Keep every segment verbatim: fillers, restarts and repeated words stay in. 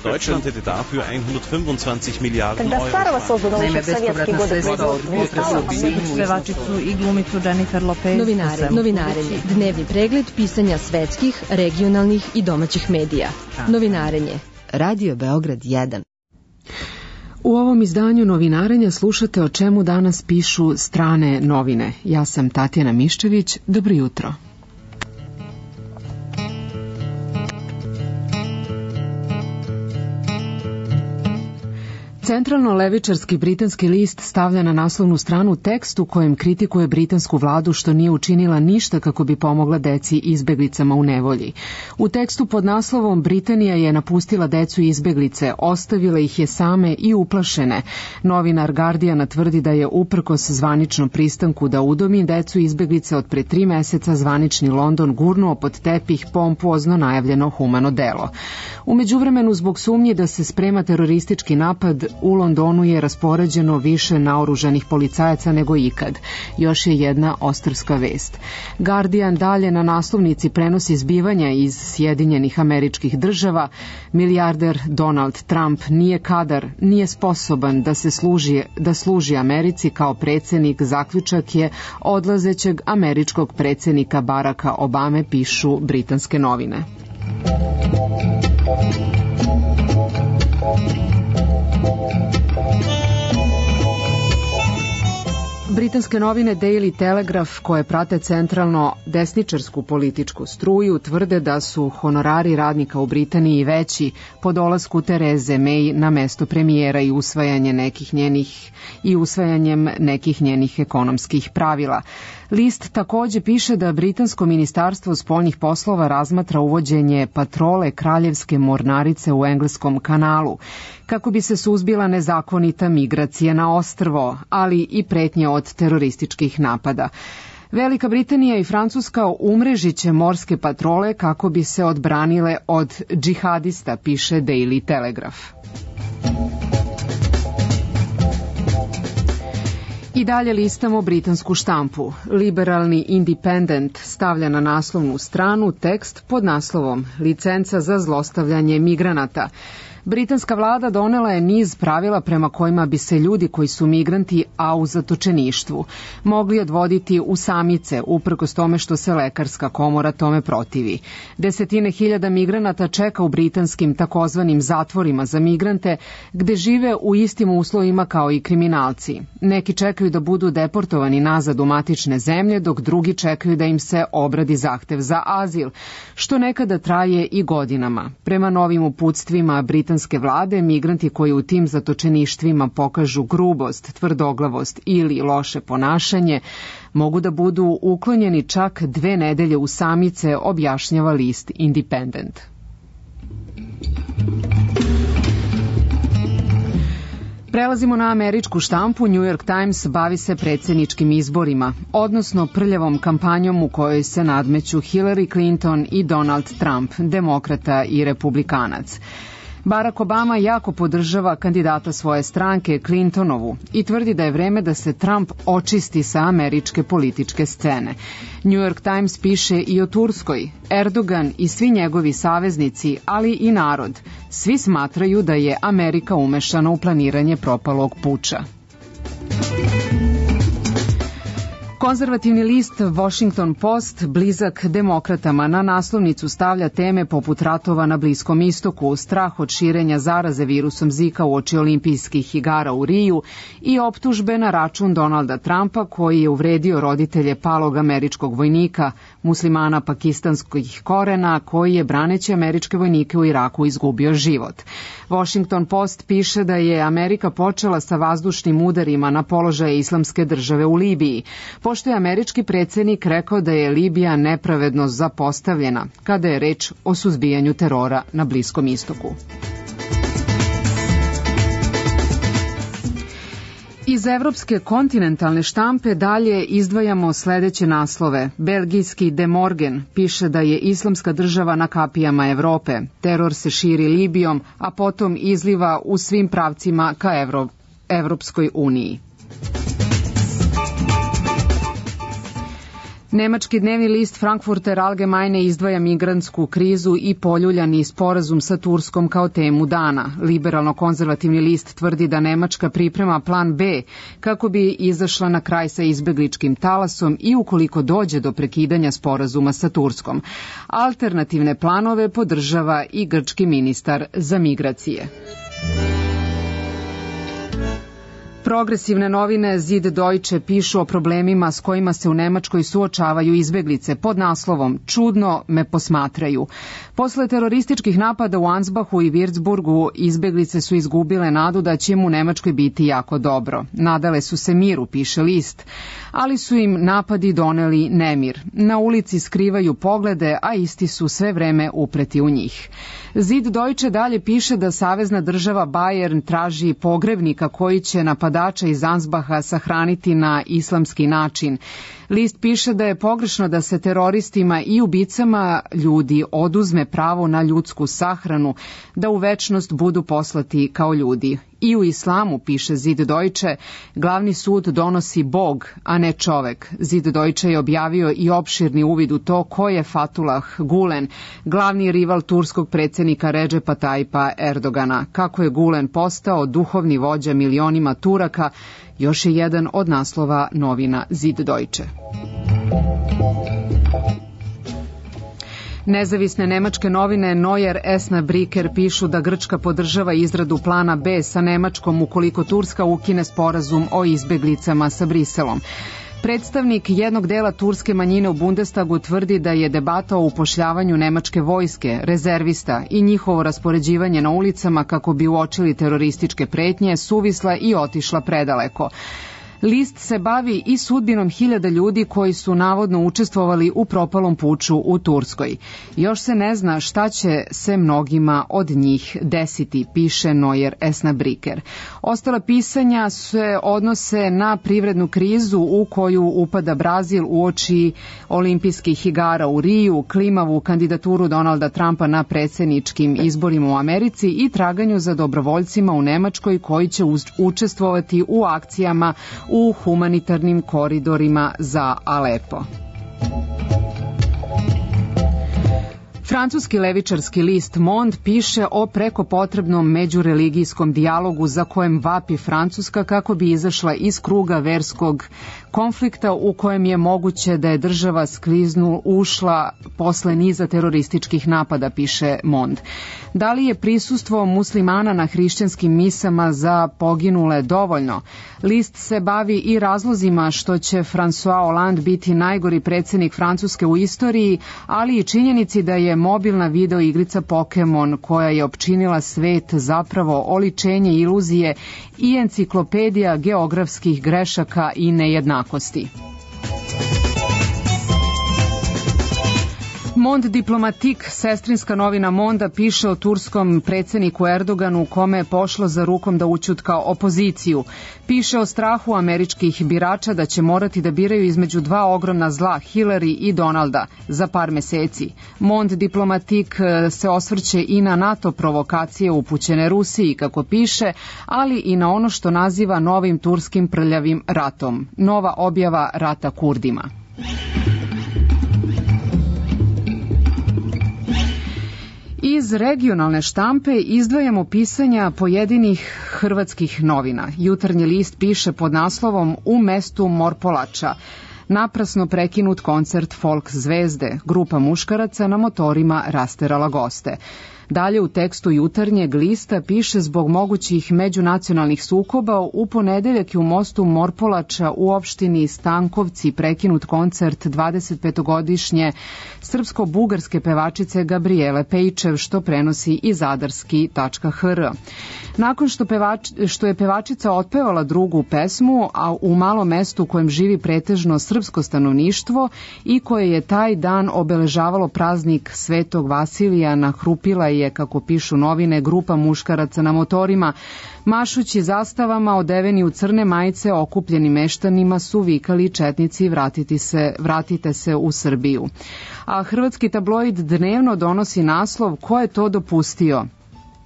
Deutschland hätte dafür hundertfünfundzwanzig Milliarden Euro. Naime, bespovratna sredstva od pevačicu i glumicu Jennifer Lopez. Novinare, novinarenje, dnevni pregled pisanja svetskih, regionalnih i domaćih medija. Novinarenje, Radio Beograd jedan. U ovom izdanju novinarenja slušate o čemu danas pišu strane novine. Ja sam Tatjana Miščević, dobro jutro. Centralno-levičarski britanski list stavlja na naslovnu stranu tekst u kojem kritikuje britansku vladu što nije učinila ništa kako bi pomogla deci izbeglicama u nevolji. U tekstu pod naslovom Britanija je napustila decu izbeglice, ostavila ih je same i uplašene. Novinar Guardiana tvrdi da je uprkos zvaničnom pristanku da udomi decu izbeglice od pre tri meseca zvanični London gurnuo pod tepih pompozno najavljeno humano delo. U međuvremenu zbog sumnje da se sprema teroristički napad u Londonu je raspoređeno više naoružanih policajaca nego ikad. Još je jedna ostrvska vest. Guardian dalje na naslovnici prenosi zbivanja iz Sjedinjenih Američkih Država. Milijarder Donald Trump nije kadar, nije sposoban da se služi, da služi Americi kao predsjednik, zaključak je odlazećeg američkog predsjednika Baracka Obame, pišu britanske novine. Britanske novine Daily Telegraph, koje prate centralno desničarsku političku struju, tvrde da su honorari radnika u Britaniji veći po dolasku Tereze May na mesto premijera i usvajanje nekih njenih i usvajanjem nekih njenih ekonomskih pravila. List takođe piše da britansko ministarstvo spoljnih poslova razmatra uvođenje patrole kraljevske mornarice u engleskom kanalu, kako bi se suzbila nezakonita migracija na ostrvo, ali i pretnje od terorističkih napada. Velika Britanija i Francuska umrežiće morske patrole kako bi se odbranile od džihadista, piše Daily Telegraph. I dalje listamo britansku štampu. Liberalni Independent stavlja na naslovnu stranu tekst pod naslovom Licenca za zlostavljanje migranata. Britanska vlada donela je niz pravila prema kojima bi se ljudi koji su migranti, a u zatočeništvu, mogli odvoditi u samice, uprkos tome što se lekarska komora tome protivi. Desetine hiljada migranata čeka u britanskim takozvanim zatvorima za migrante, gde žive u istim uslovima kao i kriminalci. Neki čekaju da budu deportovani nazad u matične zemlje, dok drugi čekaju da im se obradi zahtev za azil, što nekada traje i godinama. Prema novim uputstvima britanske vlade, migranti koji u tim zatočeništvima pokažu grubost, tvrdoglavost ili loše ponašanje, mogu da budu uklonjeni čak dve nedelje u samice, objašnjava list Independent. Prelazimo na američku štampu. New York Times bavi se predsjedničkim izborima, odnosno prljavom kampanjom u kojoj se nadmeću Hillary Clinton i Donald Trump, demokrata i republikanac. Barack Obama jako podržava kandidata svoje stranke, Clintonovu, i tvrdi da je vreme da se Trump očisti sa američke političke scene. New York Times piše i o Turskoj. Erdogan i svi njegovi saveznici, ali i narod, svi smatraju da je Amerika umešana u planiranje propalog puča. Konzervativni list Washington Post, blizak demokratama, na naslovnicu stavlja teme poput ratova na Bliskom istoku, strah od širenja zaraze virusom Zika uoči olimpijskih igara u Riju i optužbe na račun Donalda Trumpa, koji je uvredio roditelje palog američkog vojnika, muslimana pakistanskih korena, koji je braneći američke vojnike u Iraku izgubio život. Washington Post piše da je Amerika počela sa vazdušnim udarima na položaje islamske države u Libiji, pošto je američki predsjednik rekao da je Libija nepravedno zapostavljena kada je reč o suzbijanju terora na Bliskom istoku. Iz evropske kontinentalne štampe dalje izdvajamo sledeće naslove. Belgijski De Morgen piše da je islamska država na kapijama Evrope. Teror se širi Libijom, a potom izliva u svim pravcima ka Evro, Evropskoj uniji. Nemački dnevni list Frankfurter Allgemeine izdvaja migrantsku krizu i poljuljani sporazum sa Turskom kao temu dana. Liberalno-konzervativni list tvrdi da Nemačka priprema plan B kako bi izašla na kraj sa izbegličkim talasom i ukoliko dođe do prekidanja sporazuma sa Turskom. Alternativne planove podržava i grčki ministar za migracije. Progresivne novine Zid Deutsche pišu o problemima s kojima se u Nemačkoj suočavaju izbeglice pod naslovom "Čudno me posmatraju". Posle terorističkih napada u Ansbachu i Würzburgu izbeglice su izgubile nadu da će im u Nemačkoj biti jako dobro. Nadale su se miru, piše list, ali su im napadi doneli nemir. Na ulici skrivaju poglede, a isti su sve vreme upreti u njih. Zid Deutsche dalje piše da savezna država Bayern traži pogrebnika koji će napadača iz Ansbacha sahraniti na islamski način. List piše da je pogrešno da se teroristima i ubicama ljudi oduzme pravo na ljudsku sahranu, da u večnost budu poslati kao ljudi. I u islamu, piše Zid Deutsche, glavni sud donosi Bog, a ne čovek. Zid Deutsche je objavio i opširni uvid u to ko je Fethullah Gulen, glavni rival turskog predsjednika Redžepa Tayyipa Erdogana. Kako je Gulen postao duhovni vođa milionima Turaka, još je jedan od naslova novina Zid Deutsche. Nezavisne nemačke novine Neuer Esna-Bricker pišu da Grčka podržava izradu plana B sa Nemačkom ukoliko Turska ukine sporazum o izbeglicama sa Briselom. Predstavnik jednog dela turske manjine u Bundestagu tvrdi da je debata o upošljavanju nemačke vojske, rezervista i njihovo raspoređivanje na ulicama kako bi uočili terorističke pretnje suvisla i otišla predaleko. List se bavi i sudbinom hiljada ljudi koji su navodno učestvovali u propalom puču u Turskoj. Još se ne zna šta će se mnogima od njih desiti, piše Neuer Esna-Bricker. Ostala pisanja se odnose na privrednu krizu u koju upada Brazil uoči olimpijskih igara u Riju, klimavu kandidaturu Donalda Trumpa na predsjedničkim izborima u Americi i traganju za dobrovoljcima u Nemačkoj koji će učestvovati u akcijama u humanitarnim koridorima za Alepo. Francuski levičarski list Monde piše o preko potrebnom međureligijskom dijalogu za kojem vapi Francuska kako bi izašla iz kruga verskog konflikta u kojem je moguće da je država skliznu ušla posle niza terorističkih napada, piše Monde. Da li je prisustvo muslimana na hrišćanskim misama za poginule dovoljno? List se bavi i razlozima što će François Hollande biti najgori predsjednik Francuske u istoriji, ali i činjenici da je mobilna video igrica Pokemon koja je opčinila svet zapravo oličenje iluzije i enciklopedija geografskih grešaka i nejednakosti. Monde Diplomatique, sestrinska novina Monda, piše o turskom predsjedniku Erdoganu kome je pošlo za rukom da ućutka opoziciju. Piše o strahu američkih birača da će morati da biraju između dva ogromna zla, Hillary i Donalda, za par meseci. Monde Diplomatique se osvrće i na NATO provokacije upućene Rusiji, kako piše, ali i na ono što naziva novim turskim prljavim ratom. Nova objava rata Kurdima. Iz regionalne štampe izdvajamo pisanja pojedinih hrvatskih novina. Jutarnji list piše pod naslovom "U mestu Morpolača. Naprasno prekinut koncert folk zvezde. Grupa muškaraca na motorima rasterala goste." Dalje u tekstu jutarnjeg lista piše zbog mogućih međunacionalnih sukoba u ponedeljak je u mostu Morpolača u opštini Stankovci prekinut koncert dvadesetpetogodišnje srpsko-bugarske pevačice Gabriele Pejčev, što prenosi i zadarski tačka h r. Nakon što, pevač, što je pevačica otpevala drugu pesmu, a u malom mestu u kojem živi pretežno srpsko stanovništvo i koje je taj dan obeležavalo praznik Svetog Vasilija, nahrupila je, kako pišu novine, grupa muškaraca na motorima. Mašući zastavama, odeveni u crne majice, okupljeni meštanima su vikali četnici vratiti se, vratite se u Srbiju. A hrvatski tabloid Dnevno donosi naslov "Ko je to dopustio?"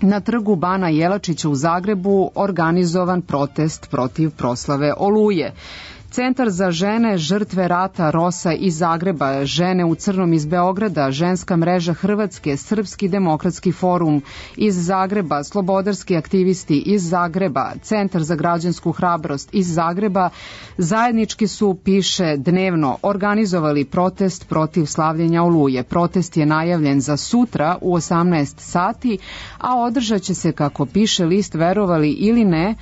Na trgu Bana Jelačića u Zagrebu organizovan protest protiv proslave Oluje. Centar za žene žrtve rata Rosa iz Zagreba, Žene u crnom iz Beograda, Ženska mreža Hrvatske, Srpski demokratski forum iz Zagreba, Slobodarski aktivisti iz Zagreba, Centar za građansku hrabrost iz Zagreba zajednički su, piše Dnevno, organizovali protest protiv slavljenja Oluje. Protest je najavljen za sutra u osamnaest sati, a održat će se, kako piše list, verovali ili ne,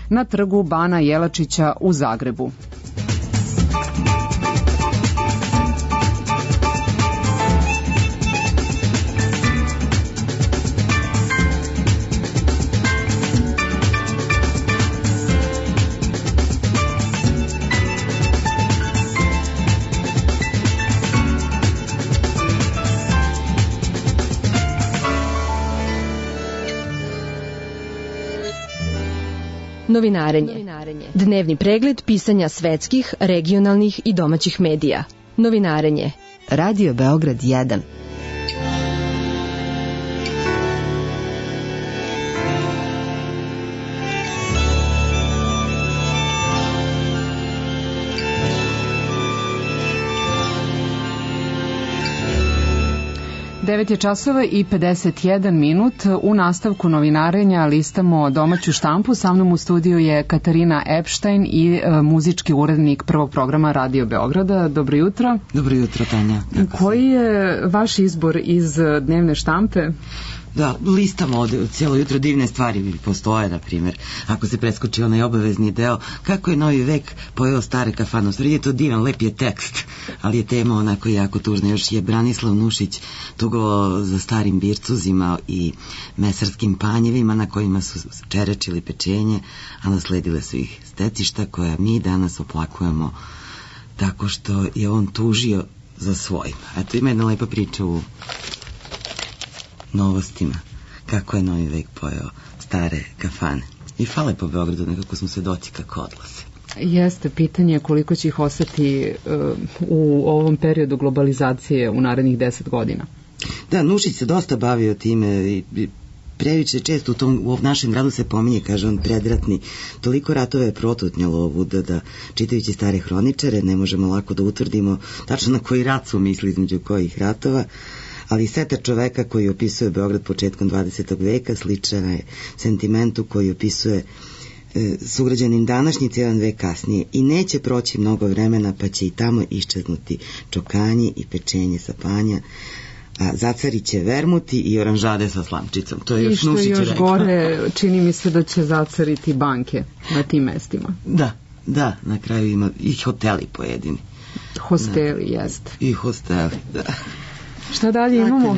na trgu Bana Jelačića u Zagrebu. Novinarenje. Dnevni pregled pisanja svetskih, regionalnih i domaćih medija. Novinarenje. Radio Beograd jedan. devet je časova i pedeset jedan minut. U nastavku novinarenja listamo domaću štampu. Sa mnom u studiju je Katarina Epštajn i e, muzički urednik prvog programa Radio Beograda. Dobro jutro. Dobro jutro, Tanja. Koji je vaš izbor iz dnevne štampe? Da, listamo ovde cijelo jutro, divne stvari postoje, na primjer, ako se preskoči onaj obavezni deo, kako je novi vek pojeo stare kafane. U stvari je to divan, lep je tekst, ali je tema onako jako tužna. Još je Branislav Nušić tugovao za starim bircuzima i mesarskim panjevima na kojima su čerečili pečenje, a nasledile su ih stecišta koja mi danas oplakujemo tako što je on tužio za svojim. Eto, ima jedna lepa priča u Novostima, kako je novi vek pojeo stare kafane. I fale po Beogradu, nekako smo svedoci kako odlaze. Jeste, pitanje koliko će ih ostati uh, u ovom periodu globalizacije u narednih deset godina. Da, Nušić se dosta bavio time i, i previše često u, tom, u našem gradu se pominje, kaže on, predratni. Toliko ratova je protutnjalo ovuda da, čitajući stare hroničare, ne možemo lako da utvrdimo tačno na koji rat su misli između kojih ratova, ali seta čoveka koji opisuje Beograd početkom dvadesetog veka sličan je sentimentu koji opisuje e, sugrađanin današnjice jedan vek kasnije. I neće proći mnogo vremena pa će i tamo iščeznuti čokanji i pečenje sa panja, a zacarit će vermuti i oranžade sa slamčicom. To je još I što je još rekao. Gore, čini mi se da će zacariti banke na tim mestima. Da, da, na kraju ima i hoteli pojedini. Hosteli, da. Jest. I hosteli, da. Šta dalje imamo?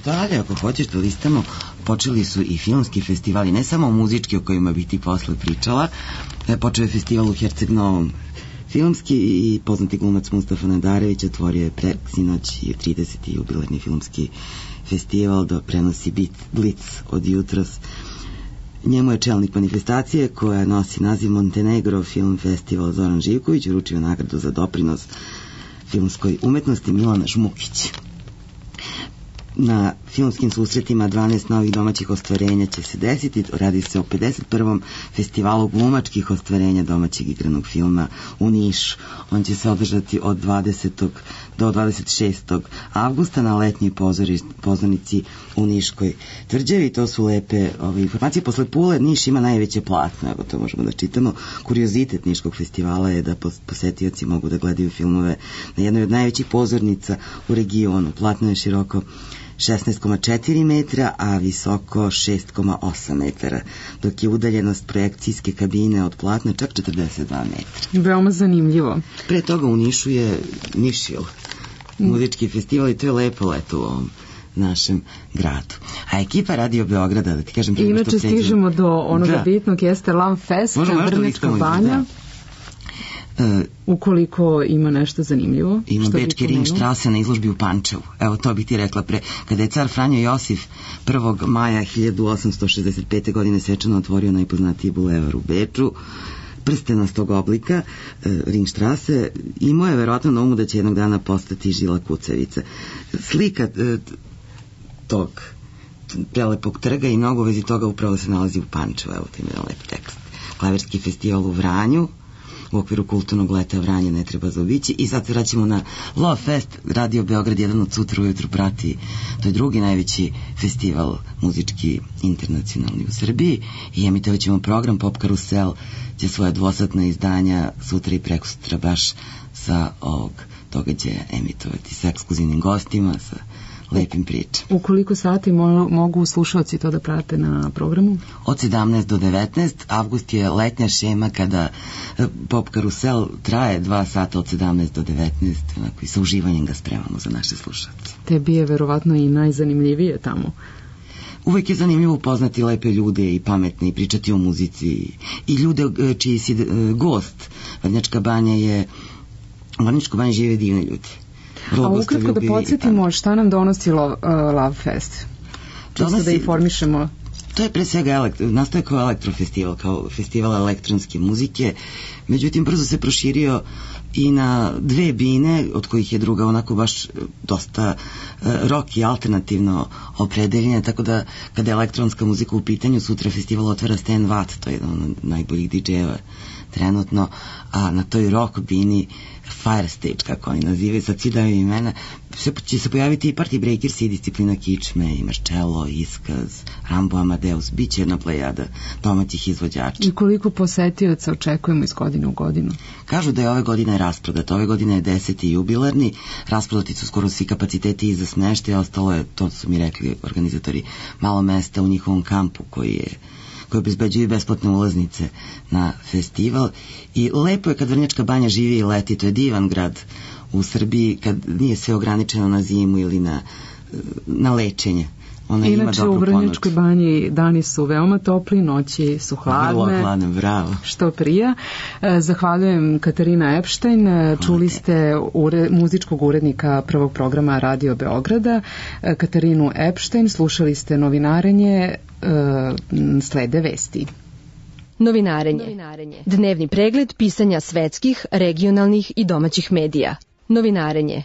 Dalje, ako hoćeš da listamo, počeli su i filmski festivali, ne samo muzički o kojima bih ti posle pričala. Počeo je festival u Herceg Novom filmski i poznati glumac Mustafa Nadarević otvorio je preksinoć i trideseti jubilarni filmski festival da prenosi bit Blic od jutros. Njemu je čelnik manifestacije koja nosi naziv Montenegro Film Festival Zoran Živković uručio nagradu za doprinos filmskoj umetnosti Milana Žmukić. Na filmskim susretima dvanaest novih domaćih ostvarenja će se desiti. Radi se o pedeset prvom festivalu glumačkih ostvarenja domaćeg igranog filma u Nišu. On će se održati od dvadesetog do dvadeset šestog avgusta na letnjoj pozornici u Niškoj tvrđavi. To su lepe ove informacije. Posle Pule Niš ima najveće platno, evo to možemo da čitamo. Kuriozitet Niškog festivala je da posetioci mogu da gledaju filmove na jednoj od najvećih pozornica u regionu. Platno je široko šesnaest zarez četiri metra, a visoko šest zarez osam metara, dok je udaljenost projekcijske kabine od platna čak četrdeset dva metra. Veoma zanimljivo. Pre toga u Nišu je Nišil, muzički festival, i to je lepo leto u ovom našem gradu. A ekipa Radio Beograda, da ti kažem... I inače stižemo do onoga da. bitnog, jeste Lam Fest, Vrnjačka banja. Uh, ukoliko ima nešto zanimljivo. Ima bečke Ringštrase na izložbi u Pančevu. Evo, to bih ti rekla pre. Kada je car Franjo Josif prvog maja hiljadu osamsto šezdeset pete godine svečano otvorio najpoznatiji bulevar u Beču, prstenastog oblika, uh, Ringštrase, imao je verovatno na umu da će jednog dana postati žila kucavica. Slika uh, tog prelepog trga i mnogo vezi toga upravo se nalazi u Pančevu. Evo, to ima lep tekst. Klaverski festival u Vranju, u okviru kulturnog leta Vranje ne treba zaobići. I sad se vraćamo na Love Fest. Radio Beograd jedan od sutra ujutru prati. To je drugi najveći festival muzički internacionalni u Srbiji i emitovat ćemo program Pop Karusel će svoje dvosatna izdanja sutra i prekosutra baš sa ovog događaja emitovati sa ekskluzivnim gostima, sa lepim pričama. U koliko sati mo- mogu slušalci to da prate na programu? Od sedamnaest do devetnaest. Avgust je letnja šema kada Pop Karusel traje dva sata od sedamnaest do devetnaest. Onako, i sa uživanjem ga spremamo za naše slušalce. Tebi je verovatno i najzanimljivije tamo. Uvek je zanimljivo upoznati lepe ljude i pametne i pričati o muzici i ljude čiji si gost. Vrnjačka banja je u Vrnjačkoj banji žive divne ljudi. A ukratko da podsjetimo šta nam donosi Love, uh, Love Fest. Čisto da informišemo. To je pre svega elektro, nastaje kao elektrofestival, kao festival elektronske muzike, međutim brzo se proširio i na dve bine, od kojih je druga onako baš dosta uh, rock i alternativno opredeljena, tako da kada je elektronska muzika u pitanju, sutra festival otvara Stan Watt, to je jedan od najboljih didžejeva trenutno, a na toj rock bini Fire Stage, kako oni nazivaju, sad svi daju imena, se, će se pojaviti i Party Breakers i Disciplina Kičme, i Marcello, Iskaz, Rambo Amadeus, bit će jedna plejada domaćih izvođača. I koliko posetioca očekujemo iz godine u godinu? Kažu da je ove godine rasprodat, ove godine je deseti jubilarni, rasprodati su skoro svi kapaciteti i za smeštaj, ostalo je, to su mi rekli organizatori, malo mesta u njihovom kampu koji je koji obezbeđuju besplatne ulaznice na festival i lepo je kad Vrnjačka banja živi i leti, to je divan grad u Srbiji kad nije sve ograničeno na zimu ili na, na lečenje. Ona Inače u Vrnjačkoj banji dani su veoma topli, noći su hladne. Vrlo hladne, bravo. Što prija. Zahvaljujem Katarina Epštajn. Čuli ste ure, muzičkog urednika prvog programa Radio Beograda, Katarinu Epštajn. Slušali ste novinarenje, slede vesti. Novinarenje. Dnevni pregled pisanja svetskih, regionalnih i domaćih medija. Novinarenje.